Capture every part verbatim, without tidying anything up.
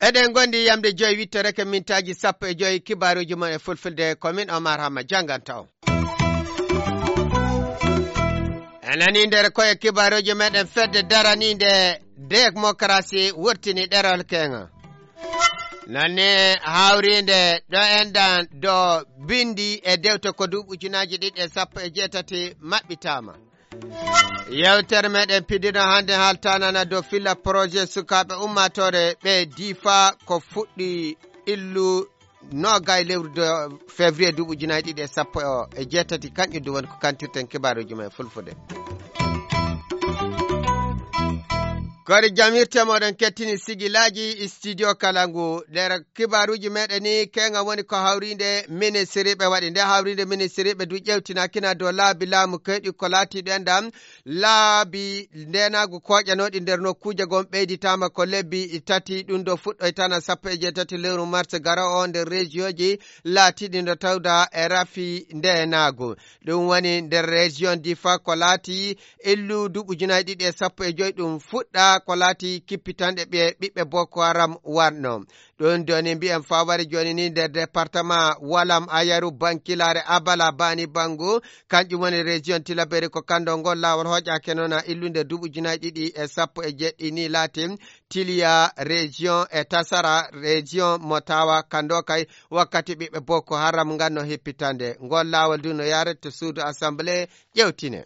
Eɗen ngondi yamde joyi wittoreke mintaaji sappo e joyi, kibaaruuji mon e fulfulde, ko min Omar Hamma jannganta on. En nani nder koye kibaaruuji meɗen, fedde daraniinde démocratie wurtini ɗerol keŋa. Nani hawriinde ɗo enɗan ɗo bindi e dewte ko duuɓi ujunaaji ɗiɗi e sappo e jeetati maɓɓitaama. Yewtere meɗen piɗino hannde haaltanana dow filla projet sukaaɓe ummaatoore ɓe Difa ko fuɗɗi illu noogay lewru de février duuɓi ujunaaji ɗiɗi e sappo e jeetati. Kanƴum du woni ko kantirten kibaaruuji men fulfude. Kori jamirte moɗon kettini sigilaaji studio kala ngu. Nder kibaaruuji meɗen ni, keŋa woni ko hawriinde ministiriiɓe waɗi. Nde hawriinde ministiriiɓe du ƴewtinakina dow laabi laamu keyɗi ko laatiiɗo enɗan laabi ndeenaagu kooƴanooɗi nder nokkuuje gon ɓeyditaama ko lebbi tati, ɗum ɗo fuɗɗoytana sappo e jeetati lewru mars garo o nder rejiyonji laatiiɗi no tawda e rafi ndeenaagu. Ɗum woni nder rejiyon Difa ko laati illu duuɓi ujunaaji ɗiɗi e sappo e joyi ɗum fuɗɗa ko laati kippitanɗe ɓe ɓiɓɓe Boko Haram warno. Ɗum doni mbiyen faware jooni ni nder département Walam, Ayaru, Bankilare, Abala, Bani Bangu, kanƴum woni région Tilaberi, ko kanndo ngol laawol hooƴaake noon a illunde duuɓi ujunaaji ɗiɗi e sappo e jeɗɗi ni laati Tiliya région e Tasara région mo tawa kanndo kay wakkati ɓiɓɓe Boko Haram nganno hippitande. Ngol laawol du no yaret to suudu assemblée ƴewtine.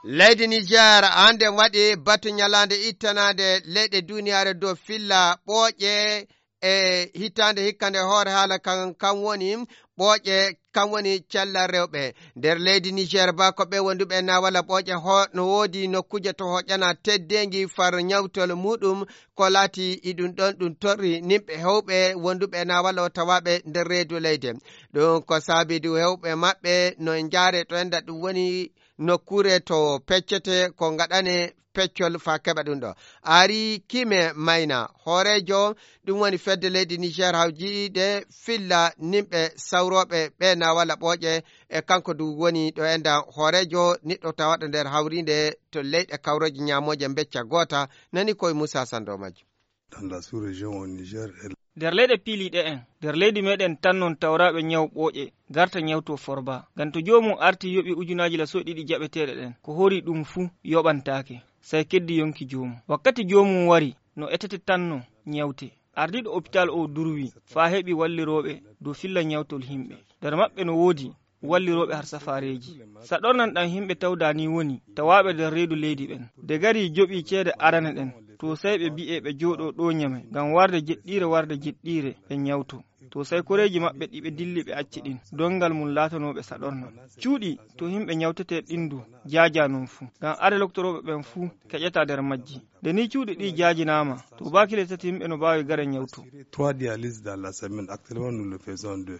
Leydi Niger hannde waɗi batu ñalaande ittanaande leyɗe duuniyaare dow filla ɓooƴe e hitaande hikka nde hoore haala kan, kan woni ɓooƴe, kan woni cellal rewɓe. Nder leydi Niger ba ko ɓe wonduɓe na walla ɓooƴe ho-, no woodi nokkuuje to hoƴana teddeengi far ñawtol muɗum ko laati iɗum ɗon ɗum torri nimɓe hewɓe wonduɓe na walla o tawaaɓe nder reedu leyde. Ɗum ko saabi du hewɓe maɓɓe no njaare to enda ɗum woni nokkuure to peccete ko ngaɗane peccol fa keɓa ɗum ɗo. Ari Kime Mayna, hooreejo ɗum woni fedde leydi Niger hawjiide filla nimɓe sawrooɓe ɓe na walla ɓooƴe e kanko du woni ɗo enda hooreejo niɗɗo tawaɗo nder hawriinde to leyɗe kawrooje ñaamooje becca goota nani koye Moussa Sando majjo. Dans la sous-région au Niger et Nder leyɗe piiliiɗe en, nder leydi meɗen tan non tawraaɓe ñaw ɓooƴe garta ñawto forba. Ngam to joomum arti yoɓi ujunaaji laso ɗiɗi jaɓeteeɗe ɗen, ko hori ɗum fuu yoɓantaake, sey keddi yonki joomum. Wakkati joomum wari, no etete tan no ñawte. Ardiiɗo opitaal o durwi faa heɓi wallirooɓe dow filla ñawtol himɓe. Nder maɓɓe no woodi wallirooɓe har safaareeji. Saɗornan ɗam himɓe tawda ni woni tawaaɓe nder reedu leydi ɓen. De gari joɓi ceede arane ɗen, to sey ɓe bi'e ɓe jooɗo ɗo ñame, ngam warde jeɗɗiire warde jeɗɗiire ɓe ñawto. To sey koreeji maɓɓe ɗi ɓe dilli ɓe acci ɗin, dongal mum laatanooɓe saɗornan. Cuuɗi to himɓe ñawtetee ɗin du jaaja non fuu, ngam are loktorooɓe ɓen fuu keƴata nder majji. De ni cuuɗi ɗi jaajinaama, to baakile tati himɓe no baawi gare ñawto. Trois dialyses dans la semaine, actuellement nous le faisons deux.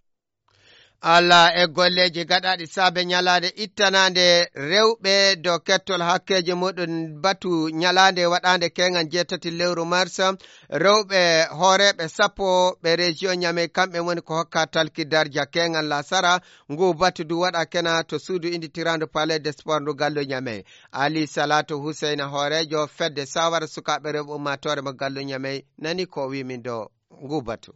Alla e golleeji gaɗaaɗi saabe ñalaande ittanaande rewɓe dow kettol hakkeeji muɗum batu ñalaande waɗaande keŋal jeetati lewru mars. Rewɓe hooreeɓe sappo ɓe région Ñamey, kamɓe woni ko hokka talki darja keŋal lasara. Ngu batu du waɗa kena to suudu inditirandu Palais des Sports ndu gallu Ñamey. Ali Salatu Huseyna, hooreejo fedde sawara sukaaɓe rewɓe ummaatoore mo gallu Ñamey, nani ko wimin dow ngu batu.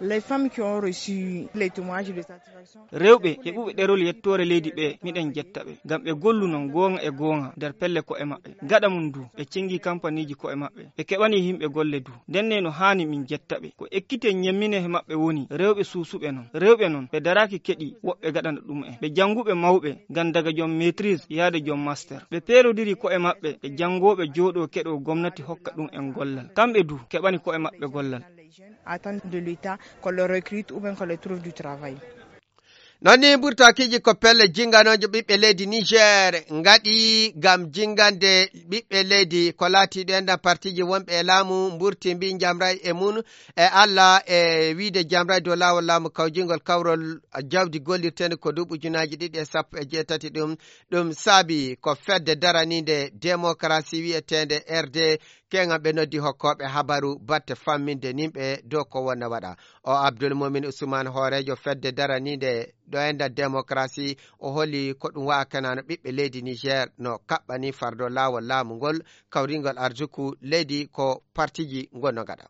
Les femmes qui ont reçu les témoignages de satisfaction. Rewɓe heɓuɓe ɗerol yettoore leydi ɓe, miɗen jetta ɓe. Ngam ɓe golluno goonga e goonga nder pelle ko'e maɓɓe. Gaɗa mum du, ɓe cengi kampaniiji ko'e maɓɓe. Ɓe keɓani yimɓe golle du. Ndenne no haani min jetta ɓe. Ko ekkite ñemmine he maɓɓe woni rewɓe suusuɓe non. Rewɓe non, ɓe daraaki keɗi woɓɓe gaɗana ɗum en. Ɓe jannguɓe mawɓe, ngam daga joom maîtrise yaade joom master. Ɓe peerodiri ko'e maɓɓe e janngooɓe jooɗoo keɗoo gomnati hokka ɗum en gollal. Kamɓe du, keɓani ko'e maɓɓe gollal. Les jeunes attendent de l'État qu'on les recrute ou bien qu'on les trouve du travail. Noon ni mburtakiiji ko pelle jinnganooje ɓiɓɓe leydi Niger ngaɗi ngam jinngande ɓiɓɓe leydi ko laatiiɗo en ɗan partiiji wonɓe e laamu mburti mbi njamray e mum e Alla e wiide jamray dow laawol laamu kawjingol kawrol jawdi gollirteende ko duuɓi ujunaaji ɗiɗi e sappo e jeetati ɗum. Ɗum saabi ko fedde daraniinde démocratie wiyeteende R D Keeŋa ɓe noddi hokkooɓe habaru batte famminde nimɓe dow ko wonna waɗa. O Abdul Mumin Usman, hooreejo fedde daraniinde ɗo enɗan demokarasi, o holi ko ɗum wa'a kenano ɓiɓɓe leydi Niger no kaɓɓani fardo laawol laamu ngol, kawringol arjuku leydi ko partiji ngonno gaɗa.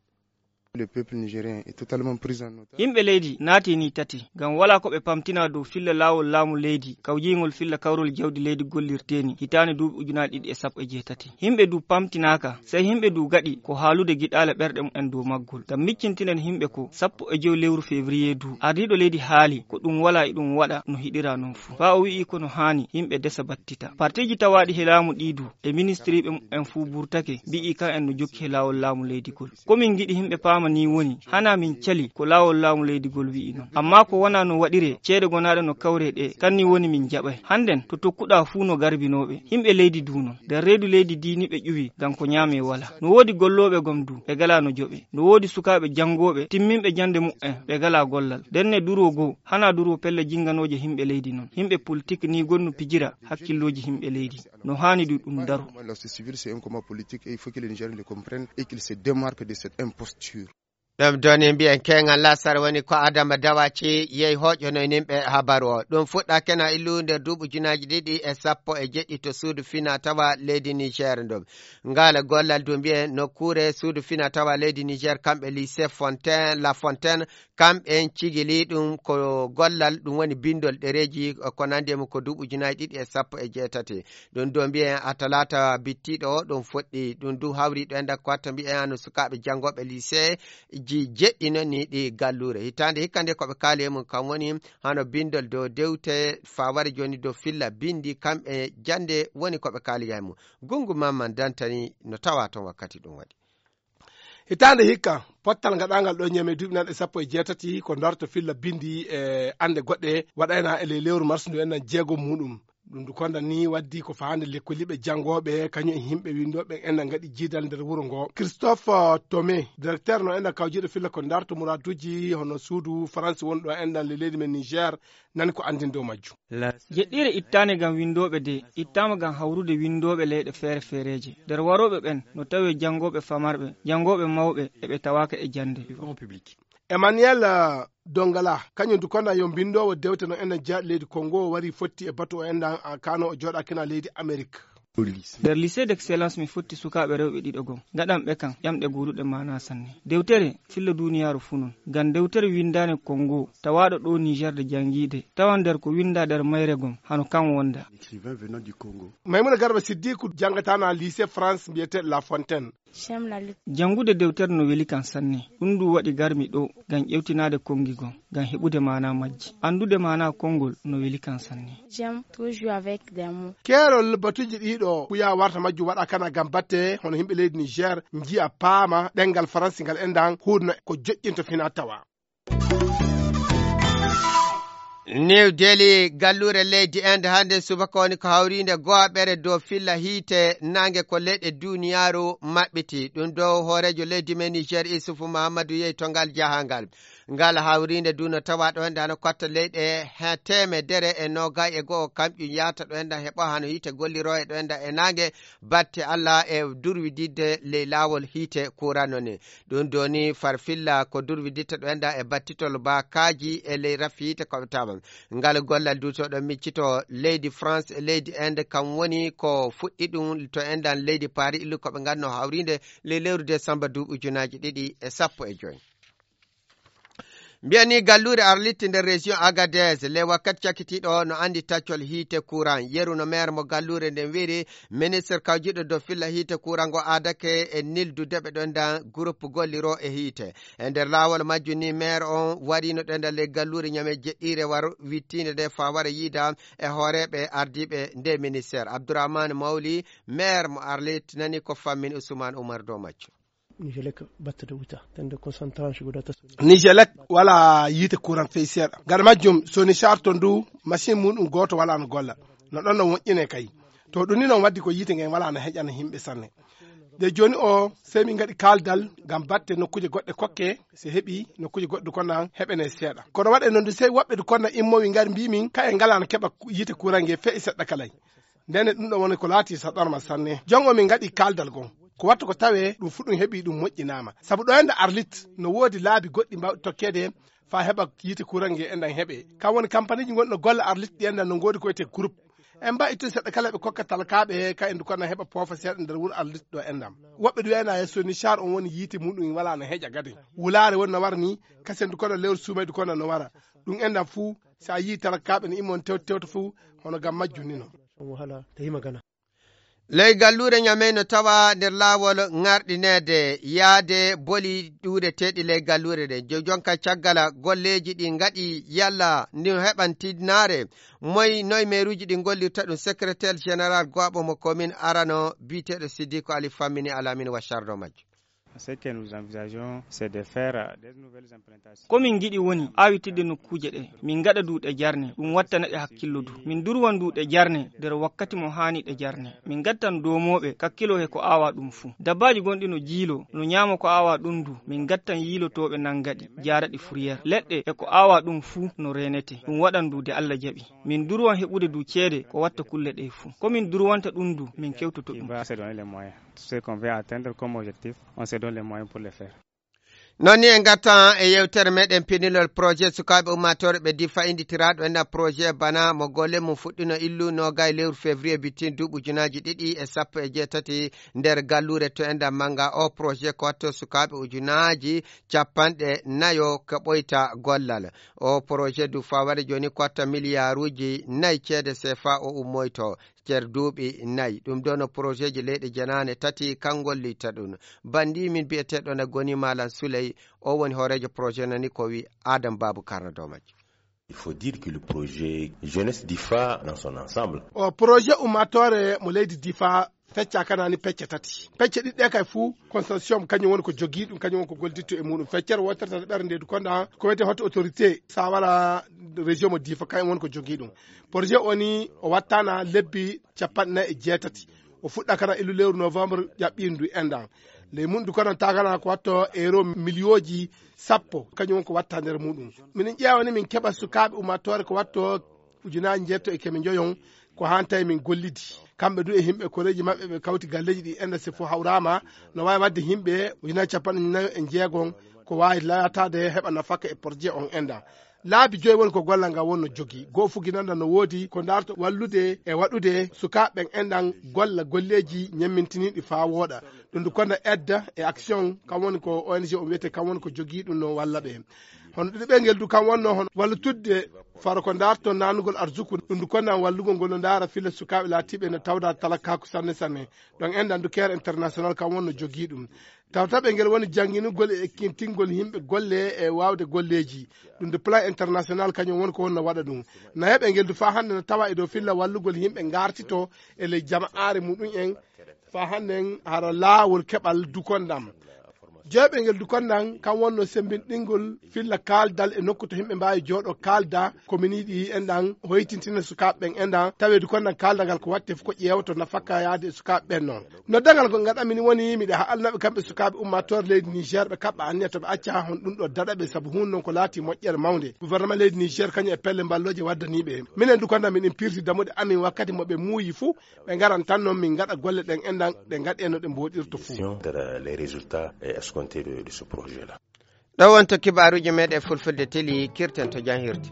Yimɓe leydi naati ni tati, ngam walaa ko ɓe pamtina dow filla laawol laamu leydi, kawjiingol filla kawrol jawdi leydi gollirteeni hitaande duuɓi ujunaaji ɗiɗi e sappo e jeetati. Yimɓe du pamtinaaka, sey yimɓe du gaɗi ko haalude giɗaale ɓerɗe mumen dow maggol. Ngam miccintinen yimɓe ko sappo e jowi lewru février du, ardiiɗo leydi haali ko ɗum walaa e ɗum waɗa no hiɗira non fuu. Faa o wi'i ko no haani yimɓe desa battita. Partiji tawaaɗi he laamu ɗii du, e ministiriiɓe mumen fuu burtake, mbi'i kan en no jokki he laawol laamu leydi gol. Ko min ngiɗi yimɓe paama nii woni, hanaa min cali ko laawol laamu leydi gol wi'i non. Ammaa ko wonaa no waɗiree, ceede gonaaɗe no kawree ɗee, kan nii woni min jaɓay. Hannden, to tokkuɗaa fuu no garbinooɓe. Yimɓe leydi du non. Nder reedu leydi dii ni ɓe ƴuwi, ngam ko ñaamee walaa. No woodi gollooɓe gom du, ɓe galaa no joɓee. No woodi sukaaɓe janngooɓe, timminɓe jannde mumen, ɓe galaa gollal. Ndenne duroo goo, hanaa duroo pelle jinnganooje yimɓe leydi non. Yimɓe politik nii gonnu pijira hakkillooji yimɓe leydi. No haani du ɗum daro. Comment la société civile, c'est un combat politique et il faut que les Nigériens le comprennent et qu'ils se démarquent de cette imposture. Ɗum ɗon e mbiyen keeŋal lasara woni ko Adama Dawaci yehi hooƴonoy nimɓe habaru o. Ɗum fuɗɗa kena illu nder duuɓi ujunaaji ɗiɗi e sappo e jeɗɗi to suudu fina tawa leydi Niger ɗum. Ngal gollal du mbiyen nokkuure suudu fina tawa leydi Niger kamɓe lycée Fontaine, La Fontaine, kamɓen cigili ɗum ko gollal ɗum woni bindol ɗereeji ko nandi e mum ko duuɓi ujunaaji ɗiɗi e sappo e jeetati. Ɗum du mbiyen a talaata bittiiɗo o ɗum fuɗɗi. Ɗum du hawri ɗo enda ko watta mbiyen hano sukaaɓe janngooɓe lycée ji jeɗɗi noon ni ɗi galluure. Hitaande hikka nde ko ɓe kaali e mum kam woni hano bindol dow dewte faware jooni dow filla bindi kamɓe jannde woni ko ɓe kaali e mum. Gungu Mamman Dantani no tawa toon wakkati ɗum waɗi. Hitaande hikka, pottal ngaɗaangal ɗo ñame duuɓi nanɗe sappo e jeetati ko darto filla bindi e annde goɗɗe waɗayna e ley lewru mars ndu enɗan jeego muɗum. Ɗum ndu konda ni waddi ko faande lekkoliiɓe janngooɓe, kañum e yimɓe winndooɓe enɗan ngaɗi jiidal nder wuro ngo. Christophe Tomé, directeur no enɗan kawjiiɗo filla ko darto muraaduuji hono suudu Faransi wonɗo enɗan le leydi men Niger, nani ko anndin dow majjum. Jeɗɗiire ittaande ngam winndooɓe de, ittaama ngam hawrude winndooɓe leyɗe feere-feereeje. Nder warooɓe ɓen, no tawee janngooɓe famarɓe, janngooɓe mawɓe, e ɓe tawaaka e jannde. Emmanuel, eh, Dongala, kañum du konda yo mbinndoowo dewte no enɗan jeyaaɗo leydi Congo wari fotti e batu o enɗan, ah, kano o jooɗaakina leydi Amerik. Nder lycée d'excellence mi fotti sukaaɓe rewɓe ɗiɗo gom. Ngaɗan ɓe kan ƴamɗe guuruɗe maanaa sanne. Dewtere filla duuniyaaru fuu non. Ngam dewtere winndaande Congo, tawaaɗo ɗo Niger de janngiide. Tawan nder ko winndaa nder mayre gom, hano kan wonda. Maymuna Garba Siddiku janngataana lycée France mbiyeteeɗo La Fontaine. Janngude dewtere no weli kan sanne. Ɗum du waɗi garmi ɗo ngam ƴewtinaade konngi gom, ngam heɓude maanaa majji. Anndude maanaa konngol no weli kan sanne. Keerol batuuji ɗiɗo kuya warta majjum waɗa kana ngam batte hono yimɓe leydi Niger njiya paama ɗemngal Faransi ngal enɗan huurna ko joƴƴinta fina tawa. New Delhi, galluure leydi Inde hannde subaka woni ko hawriinde gooɓere dow filla hiite naange ko leyɗe duuniyaaru maɓɓiti. Ɗum dow hooreejo leydi men Niger Isufu Mahammadu yehi to ngal jahangal. Ngal hawriinde du no tawa ɗo hannde hano kotta leyɗe he teemedere e noogay e go'o kamƴum yahata ɗo hannde heɓo hano hiite golliroo e ɗo hannde e naange batte Allah e durwididde ley laawol hiite kuuran no ni. Ɗum doni farfilla ko durwiditta ɗo enda e battitol baakaaji e ley rafi yiite koɓe tawa. Ngal gollal duutoɗo miccito leydi France e leydi Inde kam woni ko fuɗɗi ɗum to endan leydi Paris illu koɓe nganno hawrinde ley lewru décembre duuɓi ujunaaji ɗiɗi e sappo e joy. Mbiyani galluure Arlit nder région Agadez, le wakkati cakkitiiɗo no anndi taccol hiite courant. Yeru no maire mo galluure nden wi'iri, ministre kawjiɗo dow filla hiite courant ngo aadake e nildude ɓe ɗon dan groupe golliro e hiite. E nder laawol majjum ni maire on warino ɗo nder le galluure ñame jeɗɗiire waro wittiinde nde faa wara yiida e hooreeɓe ardiiɓe nde ministère. Abdourahmane Mawli, maire mo Arlit, nani ko fammin Ousmane Oumar dow majjum. Nijelek battata wuta, tande concentrant ko data. Nijelek wala yiite courant fey seeɗa. Gaɗa majjum, Sony Char to ndu, machine muɗum gooto wala no golla. No ɗon no woƴƴine kay. To ɗum ni noon waddi ko yiite ngen wala no heƴana yimɓe sanne. De jooni o, sey min ngaɗi kaaldal ngam batte nokkuuje goɗɗe kokke, se heɓi nokkuuje goɗɗe kono heɓene seeɗa. Kono waɗe noon du sey woɓɓe du kono immowi ngari mbi min, kaye ngala no keɓa yiite courant nge fey seɗɗa kalay. Ndene ɗum ɗo woni ko laati saɗorma sanne. Jongo min ngaɗi kaaldal gon. Ko watta ko tawee ɗum fuu ɗum heɓii ɗum moƴƴinaama. Sabu ɗo enda Arlit no woodi laabi goɗɗi mbaawɗi tokkeede faa heɓa yiite kuran nge enɗan heɓee. Kam woni kampaniiji gonɗi no golla Arlit ɗi enɗan no ngoodi ko wiyetee groupe. En mbaɗi ittude seɗɗa kala ɓe kokka talkaaɓe ka en dukana heɓa poofa seeɗa nder wuro Arlit ɗo enɗan. Woɓɓe ɗum ena yesso ni char on woni yiite muɗum walaa no heƴa gadi. Wulaare woni no wara ni, kasen dukana lewru suumaydu kono no wara. Ɗum enɗan fuu, so a yii talkaaɓe no imma on tewta tewta fuu, hono ngam majjum ni non. Ley galluure Ñamey no tawa nder laawol ŋarɗineede yaade boli ɗuureteeɗi ley galluure ɗe. Jo-, jonka caggal golleeji ɗi ngaɗi yalla ndi heɓan tinnaare. Moy noy meeruuji ɗi gollirta ɗum? Secrétaire général go'aɓo mo commune arano biyeteeɗo Siddiqu Ali Fammini Alamine wa chardo majjo. Ce que nous envisageons, c'est de faire, euh, des nouvelles implantations. Ko min ngiɗi woni aawitidde nokkuuje ɗe. Min ngaɗa du ɗe jarne, ɗum wattana ɗe hakkillo du. Min durwan du ɗe jarne nder wakkati mo haani ɗe jarne. Min ngattan doomooɓe kakkilo he ko aawaa ɗum fuu. Dabbaaji gonɗi no jiilo, no ñaama ko aawaa ɗum du. Min ngattan yiilotooɓe nannga ɗi, jaara ɗi fourrière. Leɗɗe e ko aawaa ɗum fuu no reenete. Ɗum waɗan du de Alla jaɓi. Min durwan heɓude du ceede ko watta kulle ɗe fuu. Ko min durwanta ɗum du, min kewtoto ɗum. Qui va se donner les moyens. Tout ce qu'on veut atteindre comme objectif, on se donne les moyens pour le faire. Noon ni en ngartan e yeewtere meɗen pinilol projet sukaaɓe ummaatoore ɓe Difa innditiraaɗo enɗan projet bana mo golle mum fuɗɗino illu noogaye lewru février bittin duuɓi ujunaaji ɗiɗi e sappo e jeetati nder galluure to enɗan mannga. O projet ko watto sukaaɓe ujunaaji capanɗe nayo kaɓoyta gollal. O projet du fawade jooni ko watta miliyaaruuji nayi ceede sefa o ummoyto nder duuɓi nayi. Ɗum ɗo no projet ji leyɗe jenaane tati kan gollirta ɗum. Banndi min biyeteeɗo na goni Malam Suley, o woni hooreejo projet nani ko wi Adam Babu Karna dow majji. Il faut dire que le projet Jeunesse Difa dans son ensemble. O projet ummaatoore mo leydi Difa fecca kanani pecce tati. Pecce ɗiɗɗe kay fuu consortium kañum woni ko jogii ɗum, kañum woni ko gollitto e muɗum. Feccere wootere tata ɓernde ndu konda ko wiyetee haute autorité sawara région mo Difa kañum woni ko jogii ɗum. Projet o ni o wattana lebbi capanɗe nayi e jeetati. O fuɗɗa kana illu lewru novembre ƴaɓɓindu enɗan. Ley mun du kono tagana ko watto euro miliyooji sappo, kañum woni ko watta nder muɗum. Minen ƴeewa ni min keɓa sukaaɓe ummaatoore ko watto ujunaaji njeetto e keme njoyon, ko haan tawi min gollidi. Kamɓe du e yimɓe koreeji maɓɓe ɓe kawti galleeji ɗi enɗan se fof hawraama, no waawi waɗde yimɓe ujunaaji capanɗe nayo e jeegon ko waawi laataade heɓa nafaka e projet on enɗan. Laabi joyi woni ko gollal ngal wonno jogii. Goo fuginanda no woodi ko ndaarto wallude e waɗude sukaaɓe ɓen enɗan golla golleeji ñemmintiniiɗi faa wooɗa. Ɗum ndu konda aide et action, kam woni ko O N G o wiyetee, kam woni ko jogii ɗum no walla ɓe. Hono ɗiɗo ɓe ngel du kam wonno hono wallitudde faro ko ndaarto naanugol arsuku. Ɗum ndu konda wallugol ngol no ndaara filla sukaaɓe laatiiɓe no tawda talakaaku sanne sanne. Ɗon enɗan du Care International kam wonno jogii ɗum. Tawtaɓe ngel woni jannginugol e ekkintingol yimɓe golle e waawde golleeji. Ɗum de plan international kañum woni ko wonno waɗa ɗum. Nayaɓe ngel du faa hannde no tawa e dow filla wallugol yimɓe ngartito e ley jama'aare muɗum en. Faa hannde en hara laawol keɓal dukondam. Joyɓe ngel dukondam kam wonno sembinɗingol filla kaaldal e nokku to yimɓe mbaawi jooɗo kaalda ko min yiɗi enɗan hoytintina sukaaɓe ɓen enɗan. Taweedu kon nan kaaldangal ko watte fof ko ƴeewoto nafakka yaade e sukaaɓe ɓen noon. Noddangal ko ngaɗanmi ni woni miɗa haalanaɓe kamɓe sukaaɓe ummaatoore leydi Niger ɓe kaɓɓa anniya to ɓe acca hon ɗum ɗo daɗa ɓe sabu huun noon ko laati moƴƴere mawnde. Gouvernement leydi Niger kañum e pelle mballooje waddaniiɓe. Minen du kono miɗen pirti damuɗe amin wakkati mo ɓe muuyi fuu ɓe ngaran tan noon min ngaɗa golle ɗen enɗan ɗe ngaɗe no ɗe mbooɗirto fuu. Sur les résultats escomptés de, de ce projet-là. Ɗo wonto kibaaruuji meɗen fulfulde teli kirten to janhirde.